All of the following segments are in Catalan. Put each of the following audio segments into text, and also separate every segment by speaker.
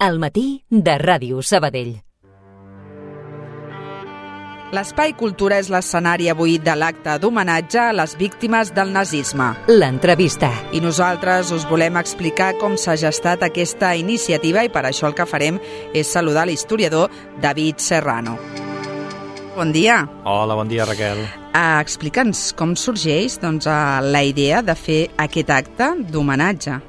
Speaker 1: Al matí de Ràdio Sabadell.
Speaker 2: L'Espai Cultura és l'escenari avui de l'acte d'homenatge a les víctimes del nazisme.
Speaker 1: L'entrevista.
Speaker 2: I nosaltres us volem explicar com s'ha gestat aquesta iniciativa i per això el que farem és saludar l'historiador David Serrano. Bon dia.
Speaker 3: Hola, bon dia, Raquel.
Speaker 2: Explica'ns com sorgeix la idea de fer aquest acte d'homenatge.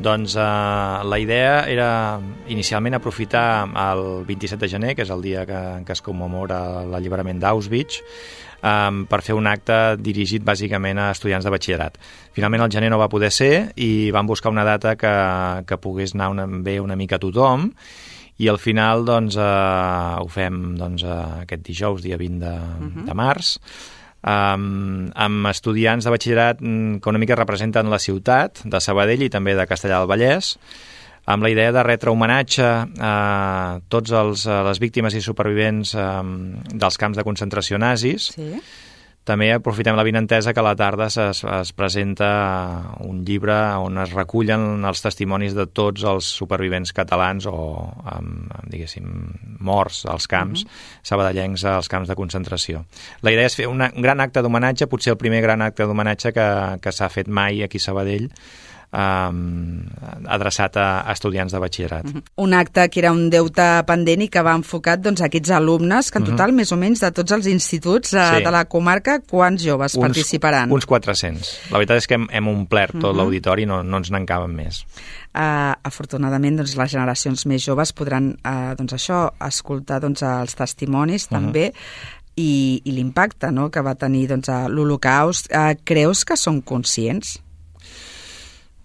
Speaker 3: Doncs la idea era inicialment aprofitar el 27 de gener, que és el dia en què es commemora l'alliberament d'Auschwitz, per fer un acte dirigit bàsicament a estudiants de batxillerat. Finalment el gener no va poder ser i vam buscar una data que pogués anar bé una mica a tothom i al final ho fem aquest dijous, dia 20 de març, amb estudiants de batxillerat que una mica representen la ciutat de Sabadell i també de Castellar del Vallès, amb la idea de retre homenatge a tots les víctimes i supervivents dels camps de concentració nazis. Sí. També aprofitem l'avinentesa que a la tarda es presenta un llibre on es recullen els testimonis de tots els supervivents catalans o, diguéssim, morts als camps, sabadellencs als camps de concentració. La idea és fer un gran acte d'homenatge, potser el primer gran acte d'homenatge que s'ha fet mai aquí a Sabadell, adreçat a estudiants de batxillerat.
Speaker 2: Un acte que era un deute pendent i que va enfocat a aquests alumnes, que en total, més o menys, de tots els instituts de la comarca, quants joves participaran?
Speaker 3: Uns 400. La veritat és que hem omplert tot l'auditori, no ens n'encaben més.
Speaker 2: Afortunadament, les generacions més joves podran escoltar els testimonis també i l'impacte que va tenir l'Holocaust. Creus que són conscients?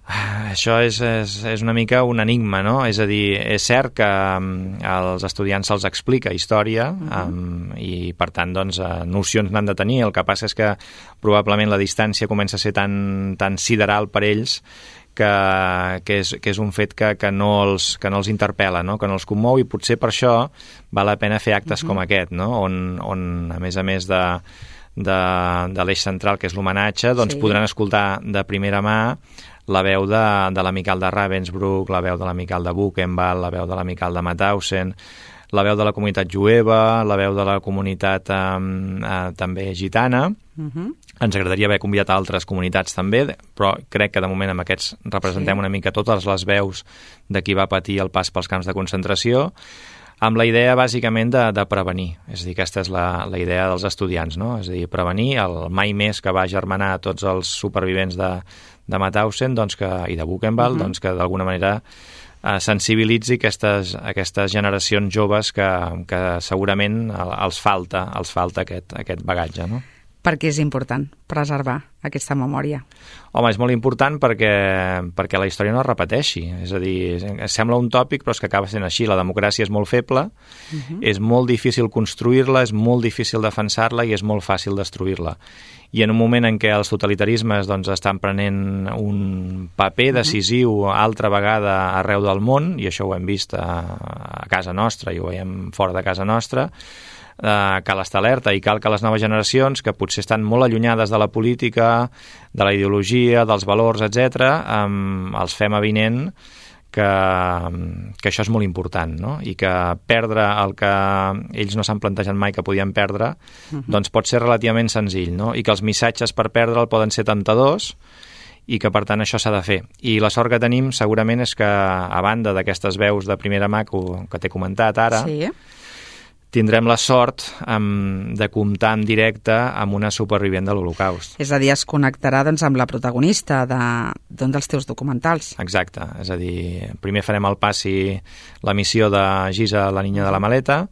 Speaker 3: Això és una mica un enigma, no? És a dir, és cert que als estudiants se'ls explica història i, per tant, nocions n'han de tenir. El que passa és que probablement la distància comença a ser tan sideral per ells que és un fet que no els interpel·la, no? Que no els commou, i potser per això val la pena fer actes com aquest, no? On a més de l'eix central, que és l'homenatge, podran escoltar de primera mà la veu de l'amical de Ravensbrück, la veu de l'amical de Buchenwald, la veu de l'amical de Mauthausen, la veu de la comunitat jueva, la veu de la comunitat també gitana. Ens agradaria haver convidat altres comunitats també, però crec que de moment amb aquests representem una mica totes les veus de qui va patir el pas pels camps de concentració, amb la idea bàsicament de prevenir. És a dir, aquesta és la idea dels estudiants, no? És a dir, prevenir el mai més que va germanar a tots els supervivents de Mauthausen i de Buchenwald, que d'alguna manera sensibilitzi aquestes generacions joves que segurament els falta aquest bagatge, no?
Speaker 2: Per què és important preservar aquesta memòria?
Speaker 3: Home, és molt important perquè la història no es repeteixi. És a dir, sembla un tòpic, però és que acaba sent així. La democràcia és molt feble, és molt difícil construir-la, és molt difícil defensar-la i és molt fàcil destruir-la. I en un moment en què els totalitarismes estan prenent un paper decisiu altra vegada arreu del món, i això ho hem vist a casa nostra i ho veiem fora de casa nostra, cal estar alerta i cal que les noves generacions, que potser estan molt allunyades de la política, de la ideologia, dels valors, etc., els fem avinent que això és molt important, no? I que perdre el que ells no s'han plantejat mai que podien perdre, pot ser relativament senzill, no? I que els missatges per perdre'l poden ser temptadors i que, per tant, això s'ha de fer. I la sort que tenim, segurament, és que, a banda d'aquestes veus de primera mà que t'he comentat ara, tindrem la sort de comptar en directe amb una supervivent de l'Holocaust.
Speaker 2: És a dir, es connectarà amb la protagonista d'un dels teus documentals.
Speaker 3: Exacte, és a dir, primer farem el passi la missió de Gisa, la niña de la maleta,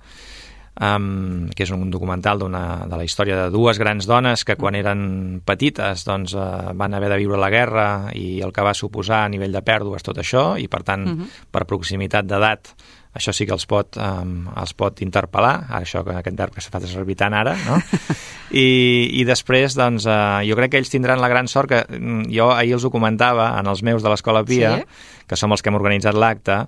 Speaker 3: que és un documental de la història de dues grans dones que quan eren petites van haver de viure la guerra i el que va suposar a nivell de pèrdues tot això, i per tant, per proximitat d'edat, això sí que els pot interpel·lar, això que aquest verb que s'ha fet servir tant ara, no? I després, jo crec que ells tindran la gran sort que jo ahir els ho comentava en els meus de l'Escola Pia, que som els que hem organitzat l'acte,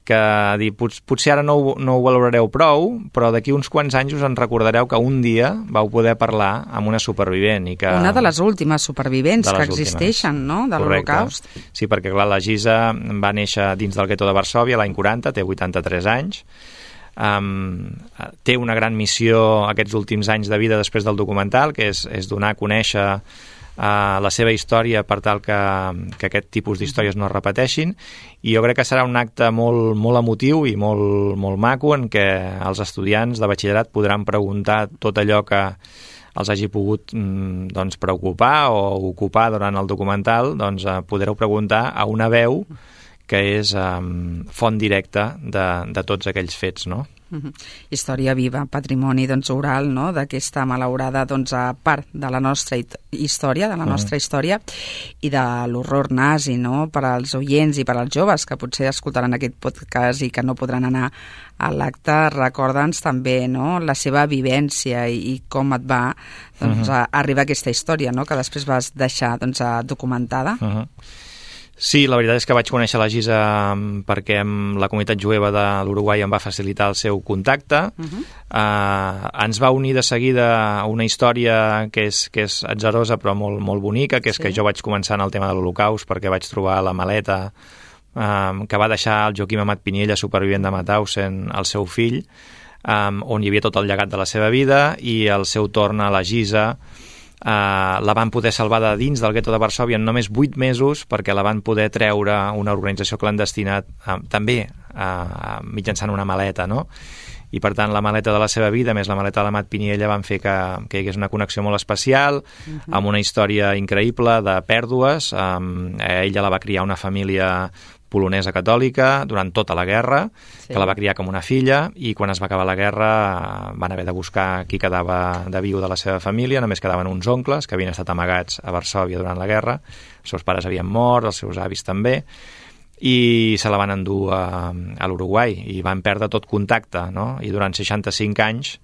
Speaker 3: que potser ara no ho valorareu prou, però d'aquí uns quants anys us en recordareu que un dia vau poder parlar amb una supervivent. I que...
Speaker 2: Una de les últimes supervivents que existeixen, no?, de l'Holocaust.
Speaker 3: Sí, perquè clar, la Gisa va néixer dins del gueto de Varsòvia l'any 40, té 83 anys, té una gran missió aquests últims anys de vida després del documental, que és donar a conèixer la seva història per tal que aquest tipus d'històries no es repeteixin, i jo crec que serà un acte molt, molt emotiu i molt, molt maco en què els estudiants de batxillerat podran preguntar tot allò que els hagi pogut doncs, preocupar o ocupar durant el documental, doncs podreu preguntar a una veu que és font directa de tots aquells fets, no?
Speaker 2: Història viva, patrimoni doncs, oral, no?, d'aquesta malaurada part de la nostra història, i de l'horror nazi, no?, per als oients i per als joves que potser escoltaran aquest podcast i que no podran anar a l'acte. Recorda'ns també, no?, la seva vivència i com et va arribar a aquesta història, no?, que després vas deixar documentada.
Speaker 3: Sí, la veritat és que vaig conèixer la Gisa perquè la comunitat jueva de l'Uruguai em va facilitar el seu contacte. Ens va unir de seguida una història que és atzarosa però molt, molt bonica, que és que jo vaig començar en el tema de l'Holocaust perquè vaig trobar la maleta que va deixar el Joaquim Amat Piniella, supervivent de Mauthausen, el seu fill, on hi havia tot el llegat de la seva vida, i al seu torn a la Gisa la van poder salvar de dins del gueto de Varsòvia en només 8 mesos perquè la van poder treure una organització clandestina també mitjançant una maleta, no? I per tant la maleta de la seva vida més la maleta de l'Amat Piniella van fer que hi hagués una connexió molt especial, amb una història increïble de pèrdues. Ella la va criar una família polonesa catòlica durant tota la guerra, que la va criar com una filla, i quan es va acabar la guerra van haver de buscar qui quedava de viu de la seva família. Només quedaven uns oncles que havien estat amagats a Varsòvia durant la guerra, els seus pares havien mort, els seus avis també, i se la van endur a l'Uruguai i van perdre tot contacte, no? I durant 65 anys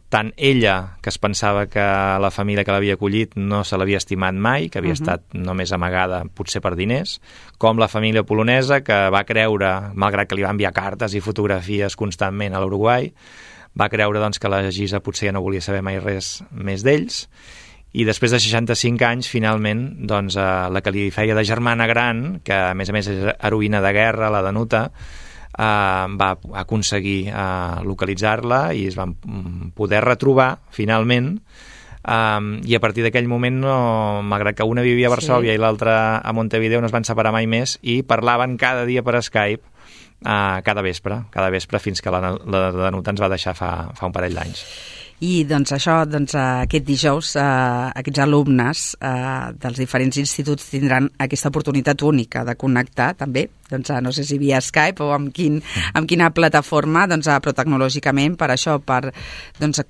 Speaker 3: tant ella, que es pensava que la família que l'havia acollit no se l'havia estimat mai, que havia estat només amagada potser per diners, com la família polonesa, que va creure, malgrat que li va enviar cartes i fotografies constantment a l'Uruguai, va creure doncs, que la Gisa potser ja no volia saber mai res més d'ells, i després de 65 anys, finalment, doncs, la que li feia de germana gran, que a més és heroïna de guerra, la Danuta, va aconseguir localitzar-la i es van poder retrobar finalment, i a partir d'aquell moment, malgrat que una vivia a Varsòvia i l'altra a Montevideo, no es van separar mai més i parlaven cada dia per Skype, cada vespre fins que la Danuta ens va deixar fa un parell d'anys.
Speaker 2: I doncs això, aquest dijous aquests alumnes dels diferents instituts tindran aquesta oportunitat única de connectar també, no sé si via Skype o amb quina plataforma, però tecnològicament per això, per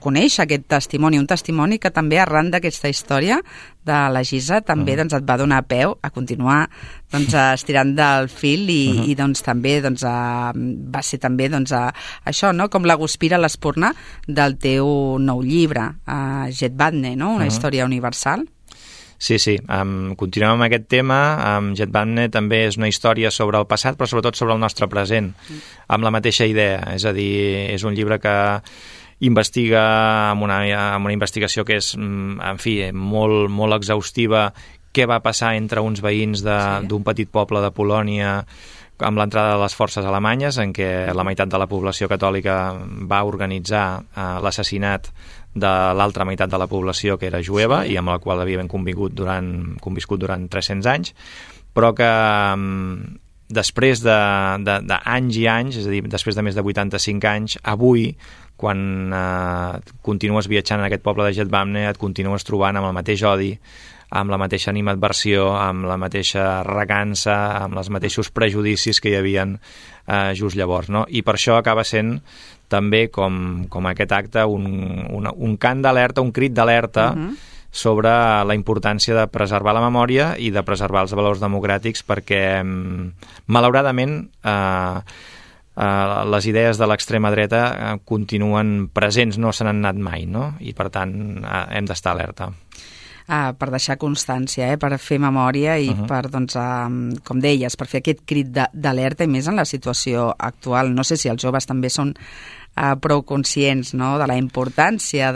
Speaker 2: conèixer aquest testimoni, un testimoni que també arran d'aquesta història de la Gisa també et va donar peu a continuar estirant del fil i també va ser també això, com la guspira, l'espurna del teu nou llibre, Jedwabne, una història universal.
Speaker 3: Sí, continuem amb aquest tema. Jedwabne també és una història sobre el passat, però sobretot sobre el nostre present, amb la mateixa idea. És a dir, és un llibre que investiga amb una investigació que és, en fi, molt, molt exhaustiva, què va passar entre uns veïns d'un petit poble de Polònia amb l'entrada de les forces alemanyes, en què la meitat de la població catòlica va organitzar l'assassinat de l'altra meitat de la població, que era jueva, i amb la qual havien conviscut durant 300 anys, però que després d'anys i anys, és a dir, després de més de 85 anys, avui, quan continues viatjant en aquest poble de Jedwabne, et continues trobant amb el mateix odi, amb la mateixa animadversió, amb la mateixa recança, amb els mateixos prejudicis que hi havien just llavors, no? I per això acaba sent també, com aquest acte, un cant d'alerta, un crit d'alerta sobre la importància de preservar la memòria i de preservar els valors democràtics, perquè, malauradament, les idees de l'extrema dreta continuen presents, no se n'han anat mai, no? I per tant hem d'estar alerta.
Speaker 2: per deixar constància, per fer memòria i per, doncs, com deies, per fer aquest crit d'alerta, i més en la situació actual. No sé si els joves també són prou conscients, no?, de la importància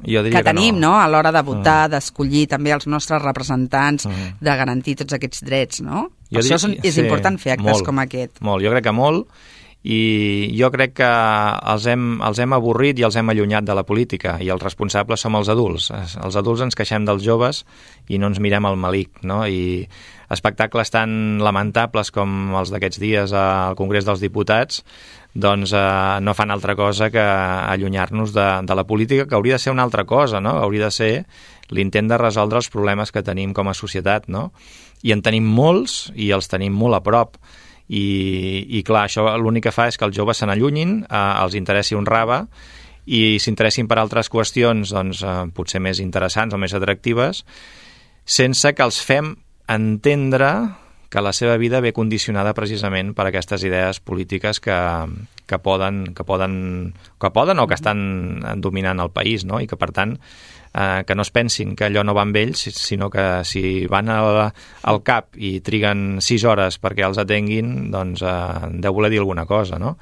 Speaker 2: que tenim, no?, a l'hora de votar, d'escollir també els nostres representants, de garantir tots aquests drets, no? Per això és important fer actes com aquest.
Speaker 3: Molt, jo crec que molt, i jo crec que els hem avorrit i els hem allunyat de la política, i els responsables som els adults. Els adults ens queixem dels joves i no ens mirem al malic, no? I espectacles tan lamentables com els d'aquests dies al Congrés dels Diputats doncs no fan altra cosa que allunyar-nos de la política, que hauria de ser una altra cosa, no? Hauria de ser l'intent de resoldre els problemes que tenim com a societat, no? I en tenim molts i els tenim molt a prop. I clar, això l'únic que fa és que els joves se n'allunyin, els interessi un rave i s'interessin per altres qüestions doncs, potser més interessants o més atractives, sense que els fem entendre que la seva vida ve condicionada precisament per aquestes idees polítiques que poden o que estan dominant el país, no? I que per tant que no es pensin que allò no va amb ells, sinó que si van al CAP i triguen 6 hores perquè els atenguin, doncs deu voler dir alguna cosa, no?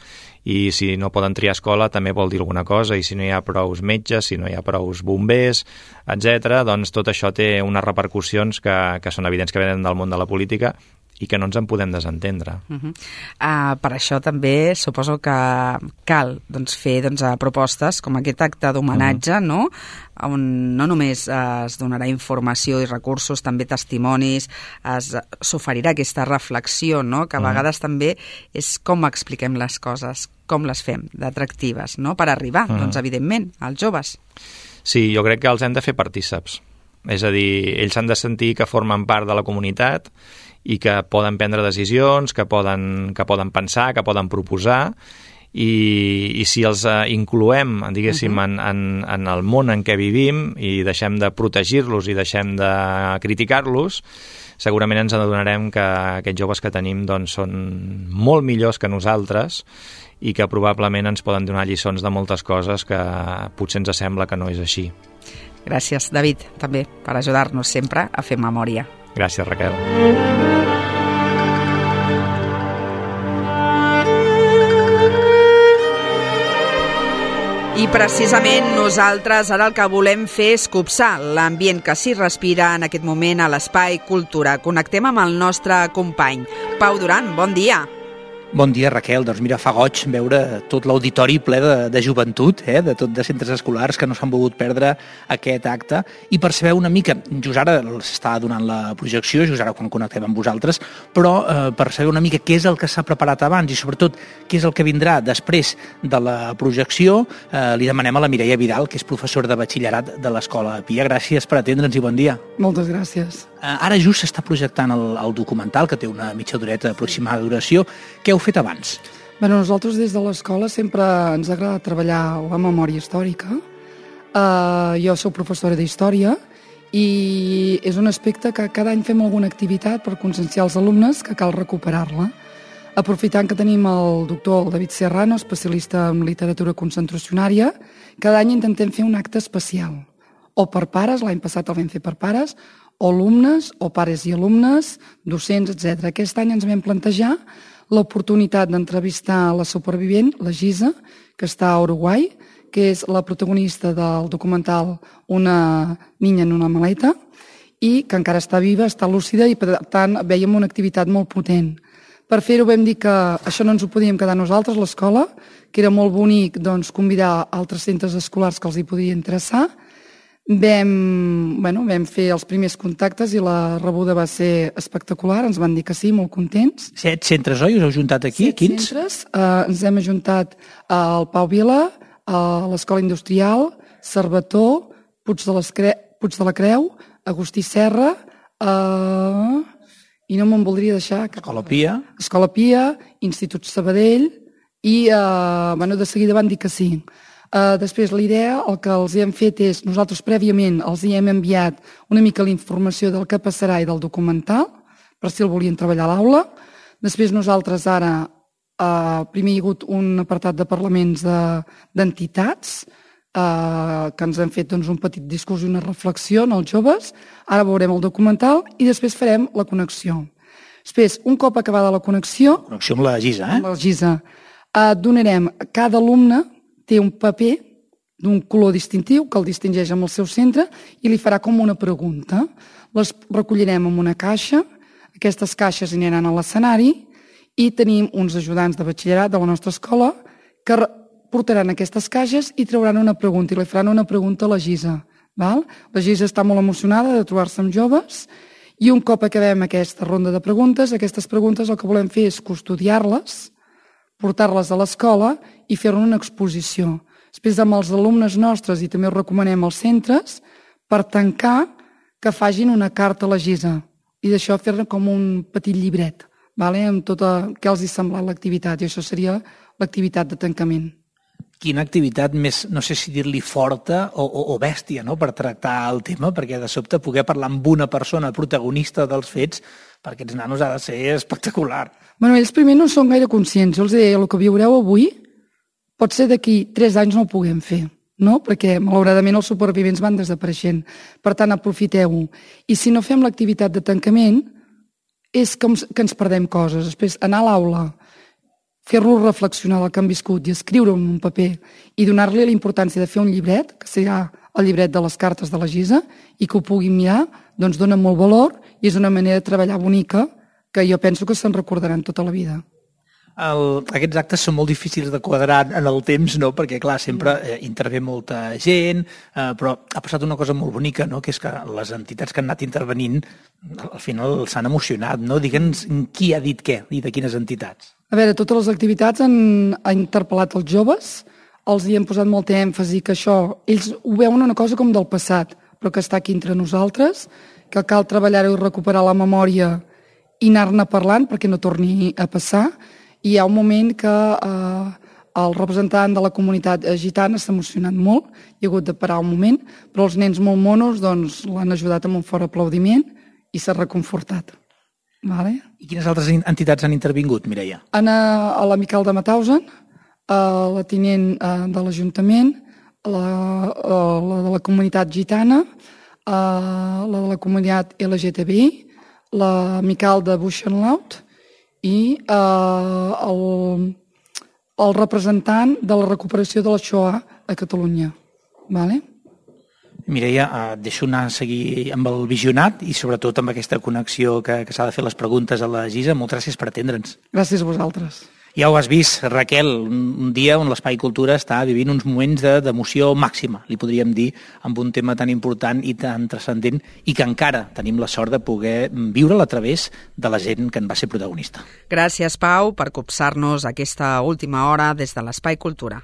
Speaker 3: I si no poden triar escola també vol dir alguna cosa, i si no hi ha prous metges, si no hi ha prous bombers, etc., doncs tot això té unes repercussions que són evidents que venen del món de la política i que no ens en podem desentendre.
Speaker 2: Per això també suposo que cal fer propostes com aquest acte d'homenatge, no? On no només es donarà informació i recursos, també testimonis, s'oferirà aquesta reflexió, no? Que a vegades també és com expliquem les coses, com les fem d'atractives, no? Per arribar, doncs, evidentment, als joves.
Speaker 3: Sí, jo crec que els hem de fer partíceps. És a dir, ells han de sentir que formen part de la comunitat i que poden prendre decisions, que poden pensar, que poden proposar, i si els incloem, diguéssim, en el món en què vivim i deixem de protegir-los i deixem de criticar-los, segurament ens adonarem que aquests joves que tenim doncs, són molt millors que nosaltres i que probablement ens poden donar lliçons de moltes coses que potser ens sembla que no és així.
Speaker 2: Gràcies, David, també, per ajudar-nos sempre a fer memòria.
Speaker 3: Gràcies, Raquel.
Speaker 2: I precisament nosaltres ara el que volem fer és copsar l'ambient que s'hi respira en aquest moment a l'Espai Cultura. Connectem amb el nostre company. Pau Duran, bon dia.
Speaker 4: Bon dia, Raquel. Doncs mira, fa goig veure tot l'auditori ple de joventut, de centres escolars que no s'han volgut perdre aquest acte, i per saber una mica, just ara s'està donant la projecció, just ara quan connectem amb vosaltres, però per saber una mica què és el que s'ha preparat abans i sobretot què és el que vindrà després de la projecció, li demanem a la Mireia Vidal, que és professora de batxillerat de l'Escola Pia. Gràcies per atendre'ns i bon dia.
Speaker 5: Moltes gràcies.
Speaker 4: Ara just s'està projectant el documental, que té una mitja horeta aproximada de duració. Què heu fet abans?
Speaker 5: Bé, nosaltres des de l'escola sempre ens agrada treballar la memòria històrica. Jo soc professora d'història i és un aspecte que cada any fem alguna activitat per conscienciar els alumnes que cal recuperar-la. Aprofitant que tenim el doctor David Serrano, especialista en literatura concentracionària, cada any intentem fer un acte especial. O per pares, l'any passat el vam fer per pares, o alumnes, o pares i alumnes, docents, etc. Aquest any ens vam plantejar l'oportunitat d'entrevistar la supervivent, la Gisa, que està a Uruguai, que és la protagonista del documental Una niña en una maleta, i que encara està viva, està lúcida, i per tant vèiem una activitat molt potent. Per fer-ho vam dir que això no ens ho podíem quedar nosaltres, l'escola, que era molt bonic doncs, convidar altres centres escolars que els hi podia interessar. Vam fer els primers contactes i la rebuda va ser espectacular, ens van dir que sí, molt contents.
Speaker 4: 7 centres, oi? Us heu juntat aquí?
Speaker 5: 7 centres, ens hem ajuntat al Pau Vila, a l'Escola Industrial, Cervetó, Puig de la Creu, Agustí Serra, i no me'n voldria deixar... Escola Pia, Institut Sabadell, i de seguida van dir que sí. Després, la idea, el que els hem fet és, nosaltres prèviament els hem enviat una mica la informació del que passarà i del documental, per si el volien treballar a l'aula. Després nosaltres ara, primer hi ha hagut un apartat de parlaments d'entitats, que ens han fet doncs, un petit discurs i una reflexió als joves. Ara veurem el documental i després farem la connexió. Després, un cop acabada la connexió...
Speaker 4: Connexió amb la Gisa,
Speaker 5: Amb la Gisa. Donarem... Cada alumne té un paper d'un color distintiu que el distingeix amb el seu centre i li farà com una pregunta. Les recollirem en una caixa, aquestes caixes aniran a l'escenari i tenim uns ajudants de batxillerat de la nostra escola que portaran aquestes caixes i trauran una pregunta i li faran una pregunta a la Gisa. Val? La Gisa està molt emocionada de trobar-se amb joves i un cop acabem aquesta ronda de preguntes, aquestes preguntes el que volem fer és custodiar-les, portar-les a l'escola i fer-ne una exposició. Després amb els alumnes nostres i també ho recomanem als centres per tancar que facin una carta a la Gisa i d'això fer-ne com un petit llibret, vale? Amb tot el que els hi ha semblat l'activitat i això seria l'activitat de tancament.
Speaker 4: Quina activitat més, no sé si dir-li forta o bèstia, no?, per tractar el tema, perquè de sobte poder parlar amb una persona protagonista dels fets per aquests nanos ha de ser espectacular.
Speaker 5: Bueno, ells primer no són gaire conscients. Jo els deia, el que viureu avui pot ser d'aquí 3 anys no ho puguem fer, no? Perquè malauradament els supervivents van desapareixent. Per tant, aprofiteu-ho. I si no fem l'activitat de tancament, és que ens perdem coses. Després, anar a l'aula, fer-los reflexionar del que han viscut i escriure-ho en un paper i donar-li la importància de fer un llibret, que serà el llibret de les cartes de la Gisa, i que ho puguin mirar, doncs dona molt valor i és una manera de treballar bonica que jo penso que se'n recordaran tota la vida.
Speaker 4: Aquests actes són molt difícils de quadrar en el temps, no? Perquè, clar, sempre intervé molta gent, però ha passat una cosa molt bonica, no? Que és que les entitats que han anat intervenint al final s'han emocionat, no? Digue'ns qui ha dit què i de quines entitats.
Speaker 5: A veure, totes les activitats han interpel·lat els joves, els hi hem posat molta èmfasi que això, ells ho veuen una cosa com del passat, però que està aquí entre nosaltres, que cal treballar-ho i recuperar la memòria i anar-ne parlant perquè no torni a passar. I hi ha un moment que el representant de la comunitat gitana s'ha emocionat molt, hi ha hagut de parar un moment, però els nens molt monos doncs, l'han ajudat amb un fort aplaudiment i s'ha reconfortat. Vale?
Speaker 4: I quines altres entitats han intervingut, Mireia?
Speaker 5: A l'Amical de Mauthausen, la tinent de l'Ajuntament, la de la comunitat gitana, la de la comunitat LGTBI, l'Amical de Buchenlaut i el representant de la recuperació de la Shoah a Catalunya. Vale?
Speaker 4: Mireia, et deixo anar a seguir amb el visionat i sobretot amb aquesta connexió que s'ha de fer les preguntes a la Gisa. Moltes gràcies per atendre'ns.
Speaker 5: Gràcies a vosaltres.
Speaker 4: Ja ho has vist, Raquel, un dia on l'Espai Cultura està vivint uns moments d'emoció màxima, li podríem dir, amb un tema tan important i tan transcendent i que encara tenim la sort de poder viure-la a través de la gent que en va ser protagonista.
Speaker 2: Gràcies, Pau, per copsar-nos aquesta última hora des de l'Espai Cultura.